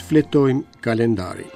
Shfletojmë kalendarin.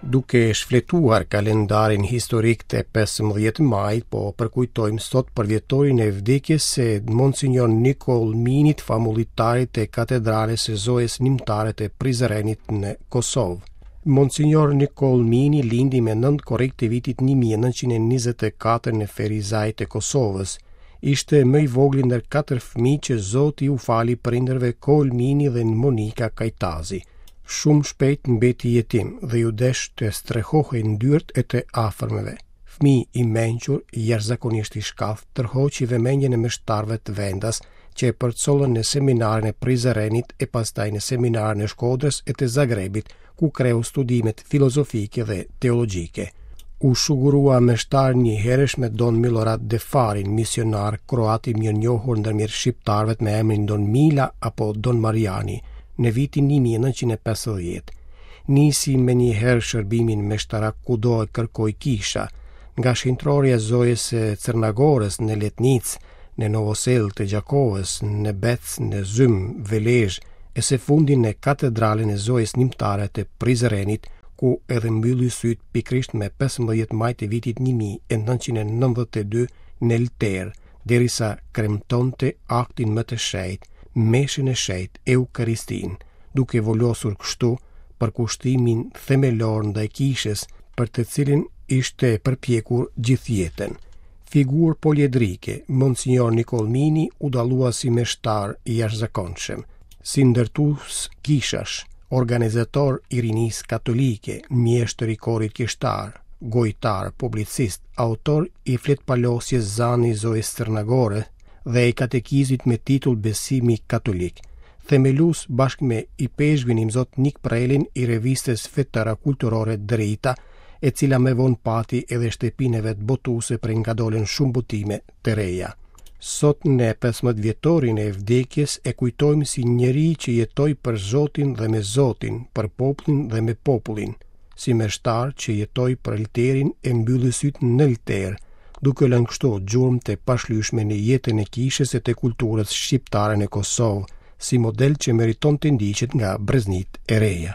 Duke shfletuar kalendarin historik të 15 majit, po përkujtojmë sot përvjetorin e vdekjes së Monsinjor Nikoll Minit, famullitarit të katedrales së Zojës Nimtare të Prizrenit në Kosovë. Monsinjor Nikoll Mini lindi me 9 korrik të vitit 1924 në Ferizaj të Kosovës. Ishte më i vogli ndër katër fëmijë që Zoti u fali prindërve Kol Mini dhe Monika Kajtazi. Shumë shpejt mbeti jetim dhe iu desh të strehohej në dyert e të afërmeve. Fëmijë i mençur, jashtëzakonisht i shkathët, tërhoqi vëmendjen e meshtarëve të vendas që e përcollën në seminarin e Prizrenit e pastaj në seminarin e Shkodrës e të Zagrebit, ku kreu studimet filozofike dhe teologjike. U shugurua meshtar njëherësh me Don Milorad Defarin, misionar kroat i mirënjohur ndërmjet shqiptarëve me emrin Don Mila apo Don Mariani, në vitin 1950. Nisi menjëherë shërbimin meshtarak kudo e kërkoi kisha, nga shenjtërorja e Zojës së Cërnagorës në Letnicë, në Novosellë të Gjakovës, në Bec, në Zym, Velezhë, e së fundi në katedralen e Zojës Nimtare të Prizrenit, ku edhe mbylli sytë pikërisht me 15 maj të vitit 1992 në Lter, derisa kremtonte aktin më të shenjtë, meshën e shenjtë, Eukaristinë, duke vulosur kështu përkushtimin themelor ndaj kishës, për të cilin ishte përpjekur gjithë jetën. Figurë poliedrike, Monsinjor Nikoll Mini u dallua si meshtar i jashtëzakonshëm, si ndërtues kishash, organizator i rinisë katolike, mjeshtër i korit kishtar, gojëtar, publicist, autor i fletëpalosjes Zani i Zojës Cërnagore dhe i katekizmit me titull Besimi Katolik, themelues bashkë me ipeshkvin Imzot Nik Prelin i revistës fetare kulturore Drita, e cila më vonë pati edhe shtëpinë e vet botuese prej nga dolën shumë botime të reja. Sot në 15 vjetorin e vdekjes e kujtojmë si njeri që jetoi për Zotin dhe me Zotin, për popullin dhe me popullin, si meshtar që jetoi për lterin e mbylli sytë në lter, duke lënë kështu gjurmë të pashlyeshme në jetën e kishës e të kulturës shqiptare në Kosovë, si model që meriton të ndiqet nga breznitë e reja.